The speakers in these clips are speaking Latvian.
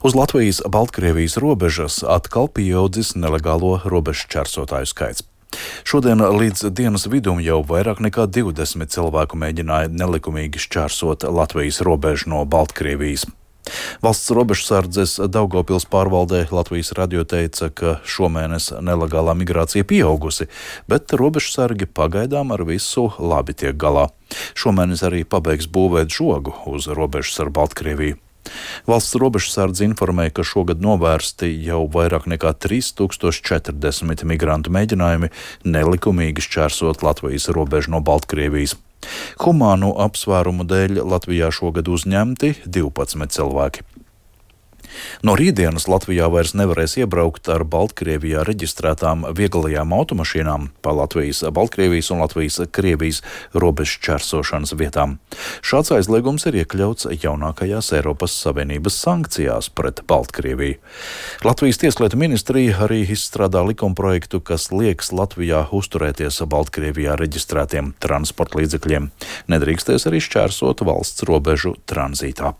Uz Latvijas-Baltkrievijas robežas atkal pieaudzis nelegālo robežu šķērsotāju skaits. Šodien līdz dienas vidum jau vairāk nekā 20 cilvēku mēģināja nelikumīgi šķērsot Latvijas robežu no Baltkrievijas. Valsts robežsardzes Daugavpils pārvaldē Latvijas radio teica, ka šomēnes nelegālā migrācija pieaugusi, bet robežsargi pagaidām ar visu labi tiek galā. Šomēnes arī pabeigs būvēt žogu uz robežas ar Baltkrieviju. Valsts robežsardze informēja, ka šogad novērsti jau vairāk nekā 3040 migrantu mēģinājumi nelikumīgi šķērsot Latvijas robežu no Baltkrievijas. Humānu apsvērumu dēļ Latvijā šogad uzņemti 12 cilvēki. No rītdienas Latvijā vairs nevarēs iebraukt ar Baltkrievijā reģistrētām vieglajām automašīnām pa Latvijas, Baltkrievijas un Latvijas-Krievijas robežu šķērsošanas vietām. Šāds aizliegums ir iekļauts jaunākajās Eiropas Savienības sankcijās pret Baltkrieviju. Latvijas tieslietu ministrija arī izstrādā likumprojektu, kas liekas Latvijā uzturēties Baltkrievijā reģistrētiem transporta līdzekļiem. Nedrīkstēs arī šķērsot valsts robežu tranzītā.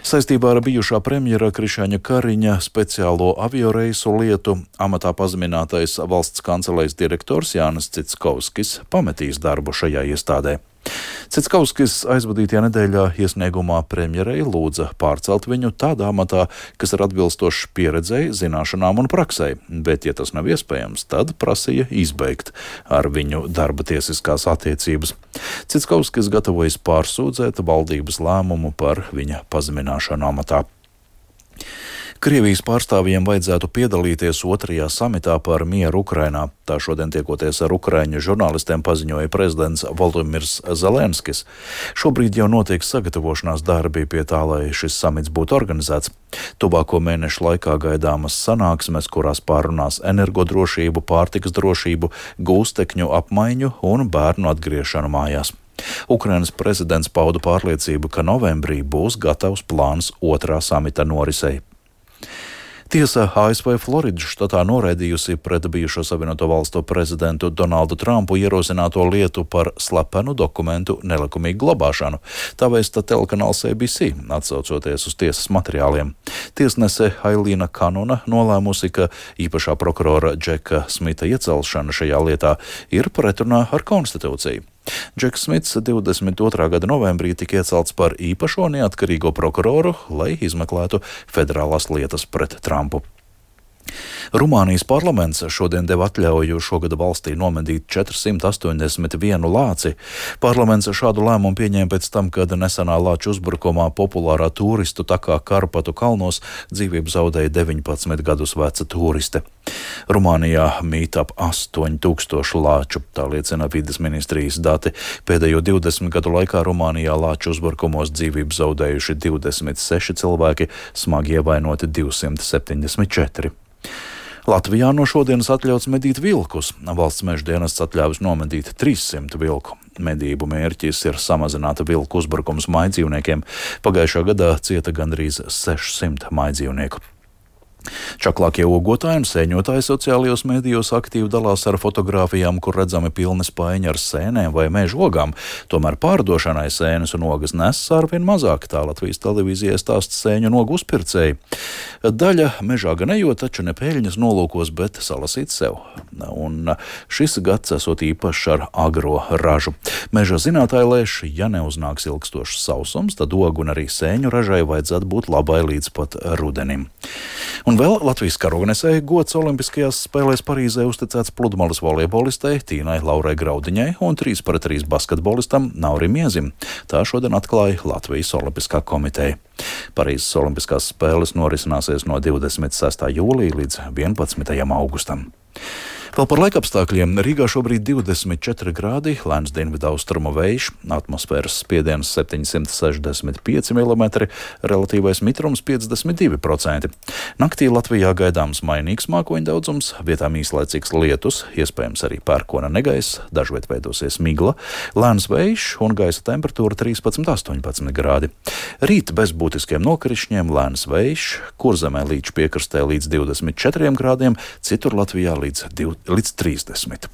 Saistībā ar bijušā premjera Krišjāņa Kariņa speciālo avioreisu lietu amatā pazeminātais valsts kancelējas direktors Jānis Citskovskis pametīs darbu šajā iestādē. Citskovskis aizvadītajā nedēļā iesniegumā premjerei lūdza pārcelt viņu tādā amatā, kas ir atbilstošs pieredzei, zināšanām un praksei, bet, ja tas nav iespējams, tad prasīja izbeigt ar viņu darba tiesiskās attiecības. Citskovskis gatavojas pārsūdzēt valdības lēmumu par viņa pazemināšanu amatā. Krievijas pārstāvjiem vajadzētu piedalīties 2. samitā par mieru Ukrainā. Tā šodien tiekoties ar ukraiņu žurnālistiem paziņoja prezidents Volodimirs Zelenskis. Šobrīd jau notiek sagatavošanās darbi pie tā, lai šis samits būtu organizēts. Tuvāko mēnešu laikā gaidāmas sanāksmes, kurās pārunās energodrošību, pārtikas drošību, gūstekņu apmaiņu un bērnu atgriešanu mājās. Ukrainas prezidents pauda pārliecību, ka novembrī būs gatavs plāns 2. samita norisei. Tiesa ASV Floridas štatā noraidījusi pret bijušo Savienoto Valstu prezidentu Donaldu Trumpu ierosināto lietu par slepenu dokumentu nelikumīgu glabāšanu. Tā vēsta telekanāls ABC, atsaucoties uz tiesas materiāliem. Tiesnese Ailīna Kanona nolēmusi, ka īpašā prokurora Džeka Smita iecelšana šajā lietā ir pretrunā ar konstitūciju. Džeks Smits 22. gada novembrī tika iecelts par īpašo neatkarīgo prokuroru, lai izmeklētu federālās lietas pret Trumpu. Rumānijas parlaments šodien deva atļauju šogad valstī nomedīt 481 lāci. Parlaments šādu lēmumu pieņēma pēc tam, kad nesenā lāču uzbrukumā populārā turistu takā Karpatu kalnos dzīvību zaudēja 19 gadus veca turiste. Rumānijā mīt ap 8000 lāču, tā liecina vides ministrijas dati. Pēdējo 20 gadu laikā Rumānijā lāču uzbrukumos dzīvību zaudējuši 26 cilvēki, smagi ievainoti 274. Latvijā no šodienas atļauts medīt vilkus. Valsts meža dienests atļāvis nomedīt 300 vilku. Medību mērķis ir samazināt vilku uzbrukums mājdzīvniekiem. Pagājušā gadā cieta gandrīz 600 mājdzīvnieku. Čaklākie ogotāji un sēņotāji sociālajos medijos aktīvi dalās ar fotogrāfijām, kur redzami pilni spaiņi ar sēnēm vai meža ogām. Tomēr pārdošanai sēnes un ogas nes arvien mazāk, tā Latvijas televīzijai stāsta sēņu un ogu uzpircēji. Daļa mežā gan ejot, taču ne peļņas nolūkos, bet salasīt sev. Un šis gads esot īpašs ar agro ražu. Meža zinātāji lēš, ja neuznāks ilgstošs sausums, tad ogu un arī sēņu ražai vajadzētu būt labai līdz pat rudenim. Un vēl Latvijas karognesēji gods Olimpiskajās spēlēs Parīzē uzticēts pludmales volejbolistei Tīnai Laurai Graudiņai un 3x3 basketbolistam Naurim Iezim. Tā šodien atklāja Latvijas Olimpiskā komiteja. Parīzes Olimpiskās spēles norisināsies no 26. jūlija līdz 11. augustam. Vēl par laikapstākļiem. Rīgā šobrīd 24 grādi, lēns dienvidu austrumu vējš, atmosfēras spiediens 765 mm, relatīvais mitrums 52%. Naktī Latvijā gaidāms mainīgs mākoņu daudzums, vietām īslaicīgs lietus, iespējams arī pērkona negaiss, dažviet veidosies migla, lēns vējš un gaisa temperatūra 13–18 grādi. Rīt bez būtiskiem nokrišņiem lēns vējš, Kurzemē līča piekrastē līdz 24 grādiem, citur Latvijā līdz 30.